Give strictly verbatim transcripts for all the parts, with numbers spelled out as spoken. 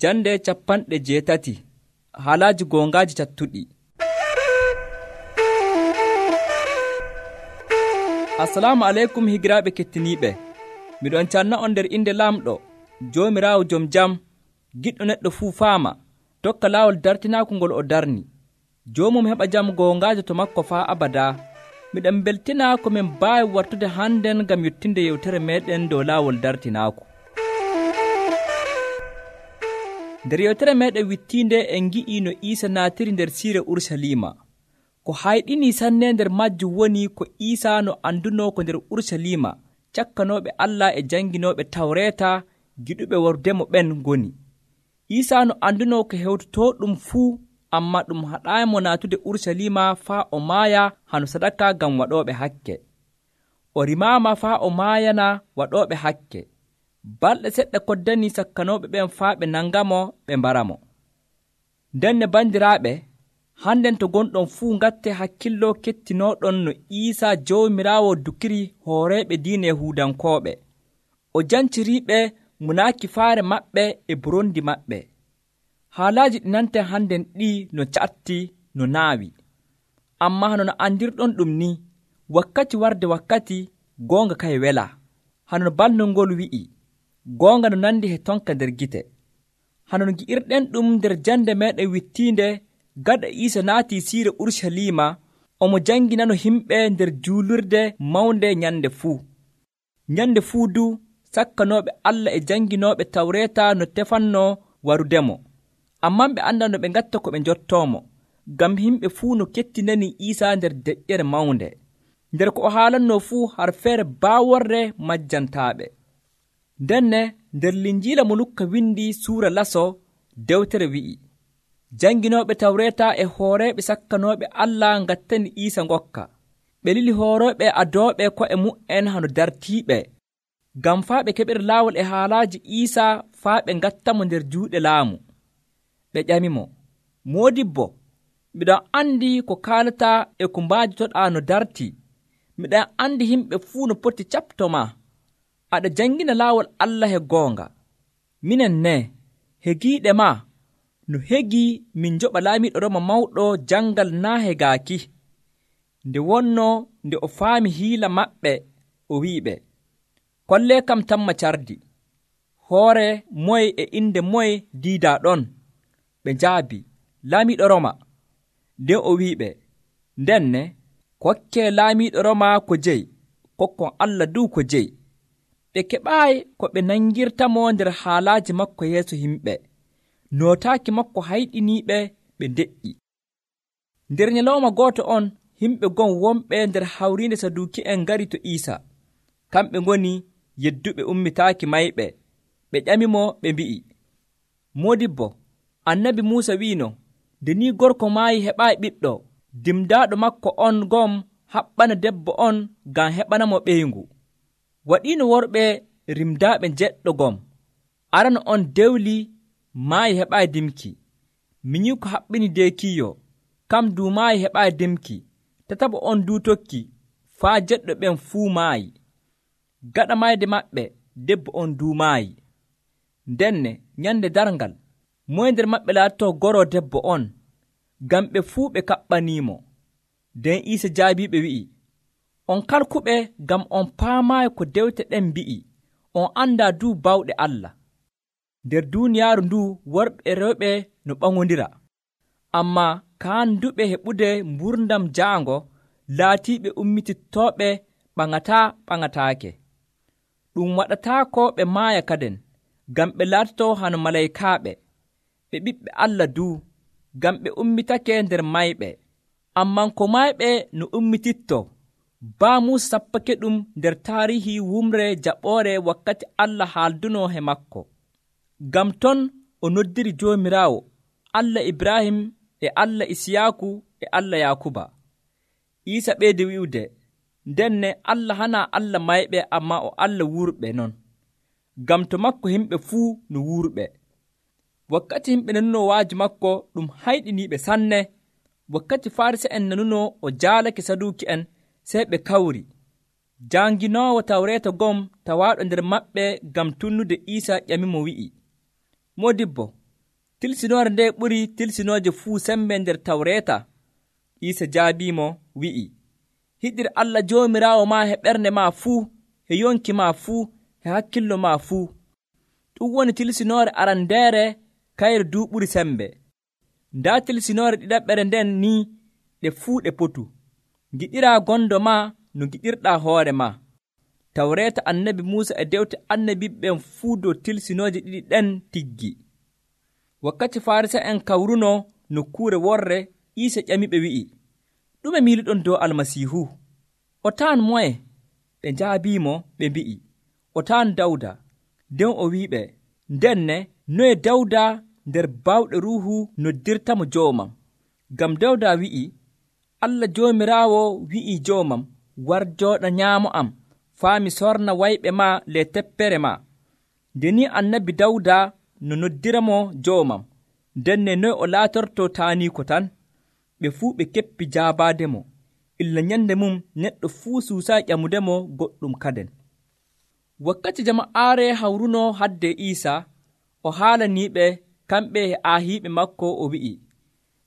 Jande capanɗe jeetati haalaaji goongaaji cattuɗi. Assalamu aleykum higiraaɓe kettiniiɓe. Miɗon canna on nder inde Laamɗo, Joomiraawo jom jam, giɗɗo neɗɗo fuu faama, tokka laawol dartinaaku ngol o darni. Joomum heɓa jam goongaajo to makko faa abadaa. Miɗen beltina ko min mbaawi wartude hannden ngam yottinde yewtere meeɗen dow laawol dartinaaku. Nder yewtere meeɗen wittiinde en ngi'ii no Iisa naatiri nder siire Urusalima. Ko hayɗinii sanne nder majjum woni ko Iisa no andunoo ko nder Urusalima cakkanooɓe Allah e janginooɓe Tawreeta giɗuɓe wordemo ɓen ngoni. Iisa no andunoo ko hewtotoo ɗum fuu, ammaa ɗum haɗaayimo naatude Urusalima faa o maaya hano sadaka ngam waɗooɓe hakke. O rimaama faa o maayana waɗooɓe hakke. Balɗe seɗɗa koddanii sakkanooɓe ɓen faa ɓe nangamo ɓe mbaramo. Nden ne bandiraaɓe, hannden to gonɗon fuu ngatte hakkillo kettinooɗon no Iisa Joomiraawo dukiri hooreeɓe diine Yahuudankooɓe. O janciriiɓe munaaki faare maɓɓe e burondi maɓɓe. Haalaaji ɗi nanten hannden ɗii no catti no naawi. Ammaa hano no andirɗon ɗum ni, wakkati warde wakkati goonga kay wela. Hano no balnol ngol wi'i, goonga no nandi he tonka nder gite. Hano no gi'irɗen ɗum nder jande meeɗen wittiinde gaɗa Iisa naatii siire Urusalima, omo janginano himɓe nder juulurde mawnde nyande fuu. Nyande fuu du sakkanooɓe Allah e janginooɓe Tawreeta no tefannoo warudemo. Ammaa ɓe andaa no ɓe ngatta ko ɓe njottoomo, ngam himɓe fuu no kettinani Iisa nder deƴƴere mawnde. Nder ko o haalannoo fuu har feere baaworre majjantaaɓe. Ndenne nder Linjiila mo Lukka windi suura laso dewtere wi'i, janginooɓe Tawreeta e hooreeɓe sakkanooɓe Allah ngattani Iisa ngokka. Ɓe lili hoorooɓe adooɓe ko'e mu'en hano dartiiɓe, ngam faa ɓe keɓira laawol e haalaaji Iisa faa ɓe ngattamo nder juuɗe laamu. Ɓe ƴamimo, Moodibbo, miɗon andi ko kaalataa e ko mbaajitoɗaa no dartii. Miɗon andi himɓe fuu no poti caɓtoma. Aɗa jangina laawol Allah he goonga. Minen ne, hegiiɗe ma, no hegii min njoɓa laamiiɗo Roma mawɗo jangal naa hegaaki. Nde wonnoo nde o faami hiila maɓɓe, o wi'iɓe, kollee kam tamma cardi. Hoore moye e inde moye diidaa ɗon? Ɓe njaabi, laamiiɗo Roma. Nden o wi'iɓe, ndenne kokkee laamiiɗo Roma ko jeyi, kokkon Allah duu ko jeyi. Ɓe keɓaayi ko ɓe nangirtamo nder haalaaji makko yeeso yimɓe. Nootaaki makko hayɗiniiɓe ɓe ndeƴƴi. Nder nyalawma gooto on, yimɓe gon wonɓe nder hawriinde Saduuki'en ngari to Iisa. Kamɓe ngoni yedduɓe ummitaaki mayɓe. Ɓe ƴamimo ɓe mbi'i, Moodibbo, annabi Muusa wiino, nde ni gorko maayi heɓaayi ɓiɗɗo, dimdaaɗo makko on gom haɓɓana debbo on ngam heɓanamo ɓeyngu. Waɗiino worɓe rimdaaɓe jeɗɗo gom. Arano on dewli maayi heɓaayi dimki. Minyiko haɓɓini deekiiyo, kam duu maayi heɓaayi dimki. Tataɓo on duu tokki, faa jeɗɗo ɓen fuu maayi. Gaɗa mayde maɓɓe, debbo on duu maayi. Ndenne nyande darngal, moye nder maɓɓe laatotoo goroo debbo on, ngam ɓe fuu ɓe kaɓɓaniimo. Nden Iisa jaabiiɓe wi'i, on kalkuɓe ngam on paamaayi ko dewte ɗen mbi'i, on andaa duu bawɗe Allah. Nder duuniyaaru nduu worɓe e rewɓe no ɓaŋondira, ammaa kaanduɓe heɓude mburdam jaango laatiiɓe ummitittooɓe ɓaŋataa ɓaŋataake. Ɗum waɗataako ɓe maaya kaden, ngam ɓe laatotoo hano malaykaaɓe. Ɓe ɓiɓɓe Allah duu, ngam ɓe ummitake nder mayɓe. Amman ko mayɓe no ummitittoo, baa Muusa sappake ɗum nder taarihi wumre jaɓoore wakkati Allah haaldunoo he makko. Ngam ton o noddiri Joomiraawo, Allah Ibrahim e Allah Isiyaaku e Allah Yaakuba. Iisa ɓeydi wi'ude, ndenne Allah hanaa Allah mayɓe, ammaa o Allah wurɓe non. Ngam to makko himɓe fuu no wurɓe. Wakkati himɓe nanunoo waaji makko ɗum hayɗiniiɓe sanne. Wakkati Faarisi'en nanunoo o jaalake Saduuki'en, sey ɓe kawri. Janginoowo Tawreeta gom tawaaɗo nder maɓɓe ngam tunnude Iisa ƴamimo wi'i, Moodibbo, tilsinoore nde ɓuri tilsinooje fuu sembe nder Tawreeta? Iisa jaabiimo wi'i, hiɗir Allah Joomiraawo maa he ɓernde maa fuu, he yonki maa fuu, he hakkillo maa fuu. Ɗum woni tilsinoore arandeere kayre duu ɓuri sembe. Ndaa tilsinoore ɗiɗaɓɓere nden ni ɗe fuu ɗe potu. Giɗiraa gondo maa no giɗirɗaa hoore maa. Tawreeta annabi Muusa e dewte annabiɓen fuu dow tilsinooje ɗiɗi ɗen tiggi. Wakkati Farisa'en kawrunoo nokkuure worre, Iisa ƴamiɓe wi'i, ɗume miiliɗon dow Almasiihu? O taan moye? Ɓe njaabiimo ɓe mbi'i, o taan Dawda. Nden o wi'iɓe, ndenne noye Dawda nder baawɗe Ruuhu noddirtamo joomam? Ngam Dawda wi'i, Allah Joomiraawo wi'ii joomam, war jooɗa nyaamo am, faa mi sorna wayɓe maa le teppere maa. Nde ni annabi Dawda no noddiramo joomam, ndenne noye o laatortoo taaniiko tan? Ɓe fuu ɓe keppi jaabaademo. Illa nyande mum neɗɗo fuu suusaa ƴamudemo goɗɗum kaden. Wakkati jama'aare hawrunoo hadde Iisa, o haalaniiɓe kamɓe e aahiiɓe makko, o wi'i,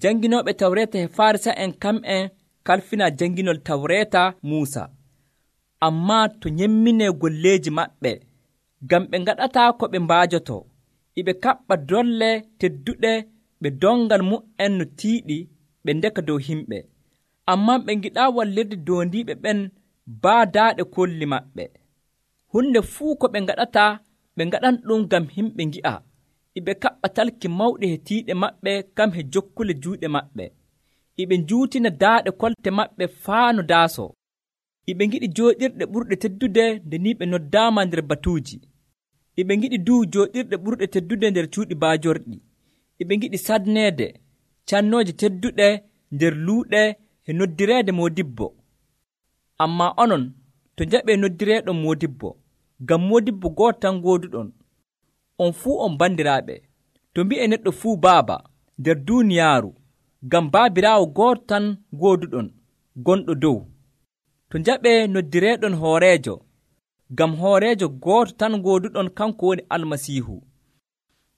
janginooɓe Tawreeta e Farisa'en kamɓen kalfinaa janginol Tawreeta Muusa, ammaa to nyemminee golleeji maɓɓe, ngam ɓe ngaɗataa ko ɓe mbaajotoo. Iɓe kaɓɓa dolle tedduɗe ɓe dongal mu'en no tiiɗi ɓe ndeka dow himɓe, ammaa ɓe ngiɗaa wallirde doondiiɓe ɓen baadaaɗe kolli maɓɓe. Hunde fuu ko ɓe ngaɗataa, ɓe ngaɗan ɗum ngam himɓe ngi'a. Iɓe kaɓɓa talki mawɗi he tiiɗe maɓɓe kam he jokkule juuɗe maɓɓe. Iɓe njuutina daaɗe kolte maɓɓe faa no daasoo. Iɓe ngiɗi jooɗirɗe ɓurɗe teddude nde ni ɓe noddaama nder batuuji. Iɓe ngiɗi duu jooɗirɗe ɓurɗe teddude nder cuuɗi baajorɗi. Iɓe ngiɗi sadneede cannooje tedduɗe nder luuɗe he noddireede moodibbo. Ammaa onon to njaɓee noddireeɗon moodibbo, ngam moodibbo gooto tan gooduɗon. On fuu on bandiraaɓe. To mbi'e neɗɗo fuu baaba nder duuniyaaru, ngam baabiraawo gooto tan gooduɗon gonɗo dow. To njaɓee noddireeɗon hooreejo, ngam hooreejo gooto tan gooduɗon, kanko woni Almasiihu.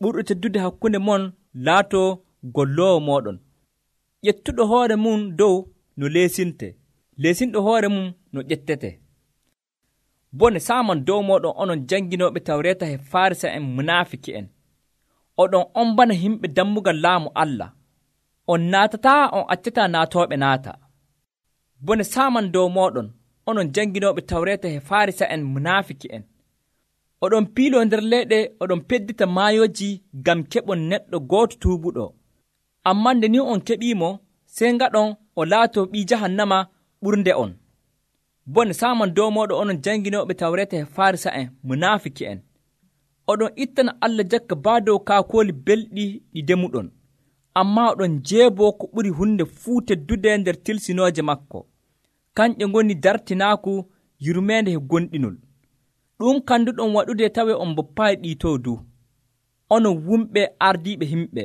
Ɓurɗo teddude hakkunde mon laatoo golloowo mooɗon. ƴettuɗo hoore mum dow no leesinte, leesinɗo hoore mum no ƴettete. Bone saaman dow mooɗon onon janginooɓe Tawreeta e Farisa'en munaafiki'en. Oɗon on bana himɓe dammugal laamu Allah. On naatataa, on accataa naatooɓe naata. Bone saaman dow mooɗon onon janginooɓe Tawreeta e Farisa'en munaafiki'en. Oɗon piiloo nder leyɗe, oɗon peddita maayooji ngam keɓon neɗɗo gooto tuubuɗo. Ammaa nde ni on keɓiimo, sey ngaɗon o laatoo ɓii jahannama ɓurnde on. Bone saaman dow mooɗon onon janginooɓe Tawreeta e Farisa'en munaafiki'en. Oɗon ittana Allah jakka baa dow kaakooli belɗi ɗi demuɗon, ammaa oɗon jeeboo ko ɓuri hunde fuu teddude nder tilsinooje makko. Kanƴe ngoni dartinaaku yurmeende he gonɗinol. Ɗum kanduɗon waɗude tawe on boppaayi ɗiitoo du. Onon wumɓe ardiiɓe himɓe,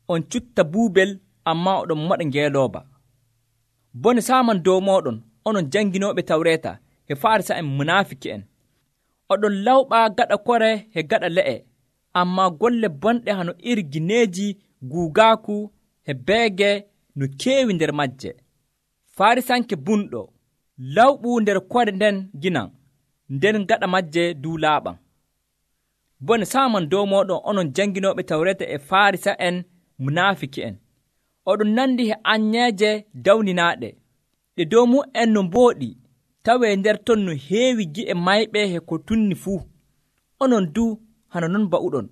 on cutta buubel, ammaa oɗon moɗa ngeelooba. Bone saaman dow mooɗon onon janginooɓe Tawreeta he Farisa'en munaafiki'en. Oɗon lawɓaa gaɗa kore he gaɗa le'e, ammaa golle bonɗe hano iri gineeji guugaaku he beege no keewi nder majje. Farisanke bunɗo, lawɓu nder kore nden ginan, nden gaɗa majje duu laaɓan. Bone saaman dow mooɗon onon janginooɓe Tawreeta e Farisa'en munaafiki'en. Oɗon nandi he anyeeje dawninaaɗe, ɗe dow mu'en no mbooɗi, tawee nder ton no heewi gi'e mayɓe he ko tunni fuu. Onon du hano non ba'uɗon.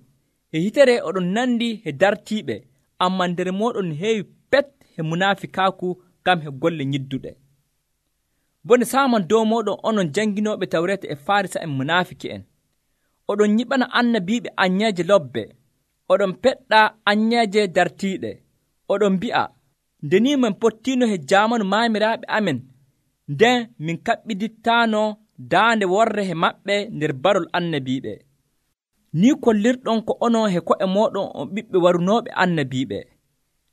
He hitere oɗon nandi he dartiiɓe, ammaa nder mooɗon heewi pet he munaafikaaku ngam he golle nyidduɗe. Bone saaman dow mooɗon onon janginooɓe Tawreeta e Farisa'en munaafiki'en. Oɗon nyiɓana annabiiɓe anyeeje lobbe, oɗon peɗɗa anyeeje dartiiɗe. Oɗon mbi'a, nde ni min pottiino he jaamanu maamiraaɓe amen, nden min kaɓɓidittaano daande worre he maɓɓe nder barol annabiiɓe. Ni kollirɗon ko onon he ko'e mooɗon on ɓiɓɓe warunooɓe annabiiɓe.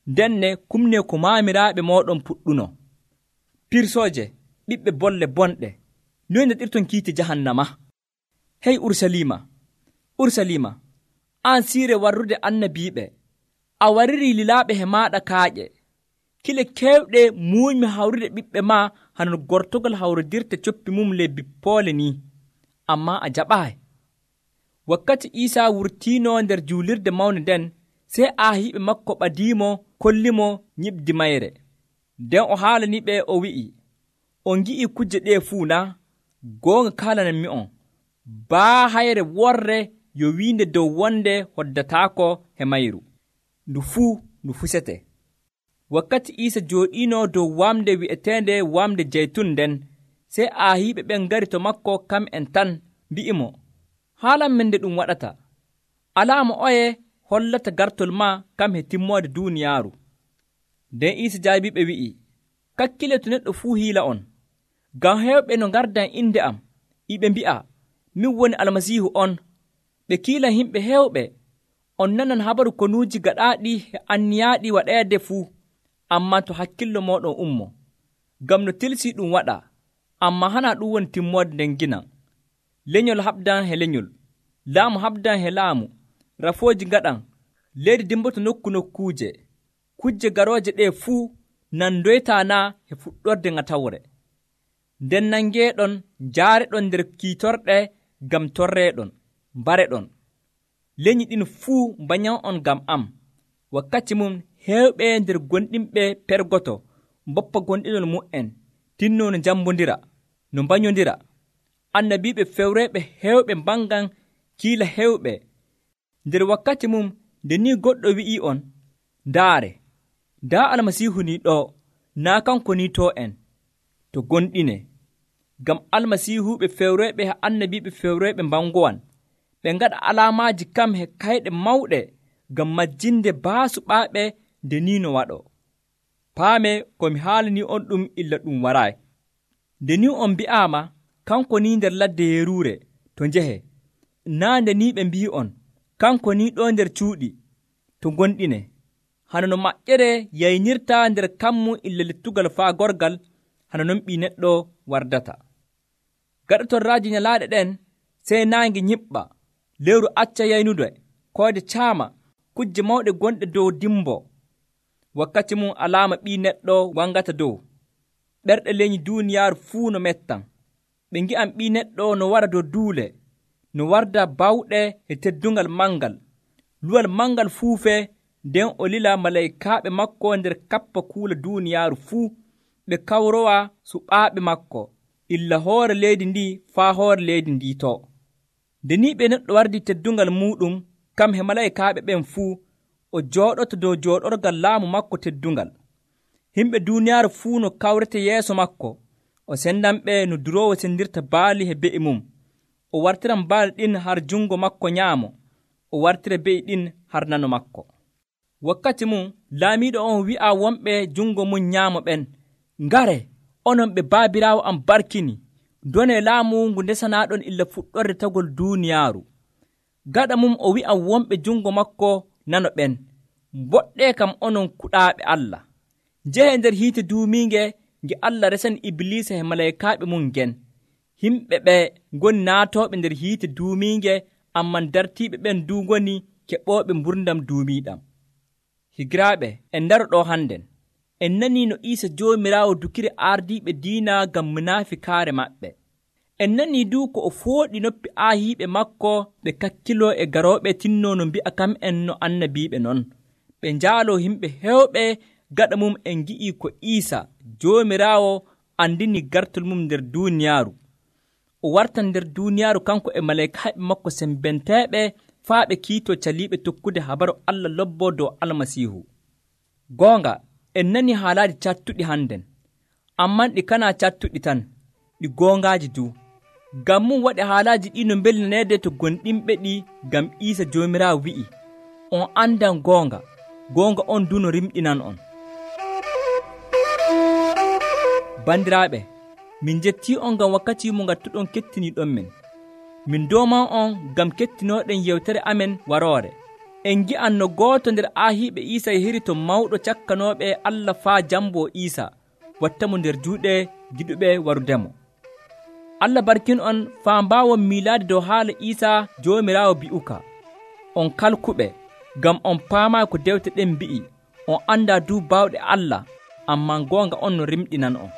Ndenne kumnee ko maamiraaɓe mooɗon puɗɗuno. Pirsooje, ɓiɓɓe bolle bonɗe, noy ndeɗirton kiite jahannama? Hey Urusalima, Urusalima, an siire warrude annabiiɓe, a wariri lilaaɓe he maaɗa kaaƴe. Kile keewɗe muuñmi hawrude ɓiɓɓe maa hano gortogal hawrodirta coppi mum ley bippoole ni, ammaa a jaɓaayi. Wakkati Iisaa wurtiino nder juulirde mawnde nden, sey aahiiɓe makko ɓadiimo kollimo nyiɓdi mayre. Nden o haalaniɓe o wi'i, on ngi'ii kujje ɗee fuu na? Goonga kaalananmi'on, baa hayre worre yo wiinde dow wonde hoddataako he mayru, ndu fuu ndu fusete. Wakkati Iisa jooɗiino dow wamde wi'eteende wamde jeytun nden, sey aahiiɓe ɓen ngari to makko kam'en tan, mbi'imo, haalan men nde ɗum waɗata. Alaama oye hollata gartol maa kam he timmoode duuniyaaru. Nden Iisa jaabiɓe wi'i, kakkile to neɗɗo fuu hiila on. Ngam heewɓe no ngardan inde am, iɓe mbi'a, min woni Almasiihu on. Ɓe kiilan himɓe heewɓe, on nanan habaru konuuji gaɗaaɗi e anniyaaɗi waɗeede fuu, ammaa to hakkillo mooɗon ummo. Ngam no tilsii ɗum waɗa, ammaa hana ɗum woni timmoode nden ginan. Lenyol haɓdan he lenyol, laamu haɓdan he laamu, rafooji ngaɗan, leydi dimboto nokku nokkuuje. Kujje garooje ɗee fuu nandoytaa naa he fuɗɗorde ŋatawre. Nden nangeeɗon njaareɗon nder kiitorɗe ngam torreeɗon, mbareɗon. Lenyi ɗin fuu mbanyan on ngam am. Wakkati mum heewɓe nder gonɗinɓe pergoto mboppa gonɗinol mu'en, tinnoo no njambondira, no mbanyondira. Annabiiɓe fewreeɓe heewɓe mbangan kiila heewɓe. Nder wakkati mum nde ni goɗɗo wi'ii on, ndaare, ndaa Almasiihu ni ɗo, naa kanko ni to en, to gonɗine. Ngam almasiihuɓe fewreeɓe e annabiiɓe fewreeɓe mbangowan, ɓe ngaɗa alaamaaji kam he kayɗe mawɗe ngam majjinde baasuɓaaɓe nde ni no waɗo. Paame ko mi haalanii on ɗum illa ɗum waraayi. Nde ni on mbi'aama kanko ni nder ladde yeruure to njehe, naa nde ni ɓe mbi'i on kanko ni ɗo nder cuuɗi to gonɗine. Hano no maƴƴere yaynirta nder kammu illa lettugal faagorgal, hano non ɓii neɗɗo wardata. Gaɗotorraaji nyalaaɗe ɗen sey naange nyiɓɓa, lewru acca yaynude, koyde caama, kujje mawɗe gonɗe dow dimbo. Wakkati mum alaama ɓii neɗɗo wangata dow. Ɓerɗe leñi duuniyaaru fuu no mettan. Ɓe ngi'an ɓii neɗɗo no wara dow duule, no warda bawɗe e teddungal mangal. Luwal mangal fuufee, nden o lila malaykaaɓe makko nder kappa kuula duuniyaaru fuu, ɓe kawrowa suɓaaɓe makko, illa hoore leydi ndi faa hoore leydi ndi to. Nde ni ɓe neɗɗo wardi teddungal muɗum kam he malaykaaɓe ɓen fuu, o jooɗoto dow jooɗorgal laamu makko teddungal. Himɓe duuniyaaru fuu no kawrete yeeso makko, o sendanɓe no duroowo sendirta baali he be'i mum. O wartiran baali ɗin har jungo makko nyaamo, o wartira be'i ɗin har nano makko. Wakkati mum laamiiɗo on wi'a wonɓe jungo mum nyaamo ɓen, ngare, onon ɓe baabiraawo am barkini, donee laamu ngu ndesanaaɗon illa fuɗɗorde tagol duuniyaaru. Gaɗa mum o wi'a wonɓe jungo makko nano ɓen, mboɗɗee kam onon kuɗaaɓe Allah. Njehe nder hiite duumiinge nge Allah resani Ibliisa e malaykaaɓe mum ngen. Himɓe ɓe ngoni naatooɓe nder hiite duumiinge, amman dartiiɓe ɓen du ngoni keɓooɓe mburdam duumiiɗam. Higiraaɓe, en ndaro ɗo hannden. En nanii no Iisa Joomiraawo dukiri ardiiɓe diina ngam munaafikaare maɓɓe. En nanii du ko o fooɗi noppi aahiiɓe makko ɓe kakkiloo e garooɓe tinnoo no mbi'a kam en no annabiiɓe non. Ɓe njaaloo himɓe heewɓe. Gaɗa mum en ngi'ii ko Iisa Joomiraawo andini gartol mum nder duuniyaaru. O wartan nder duuniyaaru kanko e malaykaaɓe makko sembenteeɓe faa ɓe kiitoo caliiɓe tokkude habaru Allah lobboo dow Almasiihu. Goonga, en nanii haalaaji cattuɗi hannden, amman ɗi kanaa cattuɗi tan, ɗi goongaaji du. Ngam mum waɗi haalaaji ɗi no mbelnaneede to gonɗinɓe ɗi, ngam Iisa Joomiraawo wi'i, on andan goonga, goonga on du no rimɗinan on. Bandiraaɓe, min jettii on ngam wakkati mo ngattuɗon kettiniiɗon men. Min dooman on ngam kettinooɗen yewtere amen waroore. En ngi'an no gooto nder aahiiɓe Iisa yahiri to mawɗo cakkanooɓe Allah faa jamboo Iisa, wattamo nder juuɗe giɗuɓe warudemo. Allah barkin on faa mbaawon miilaade dow haala Iisa Joomiraawo bi'uka. On kalkuɓe, ngam on paamaay ko dewte ɗen mbi'i, on andaa duu baawɗe Allah, ammaa goonga on no rimɗinan on.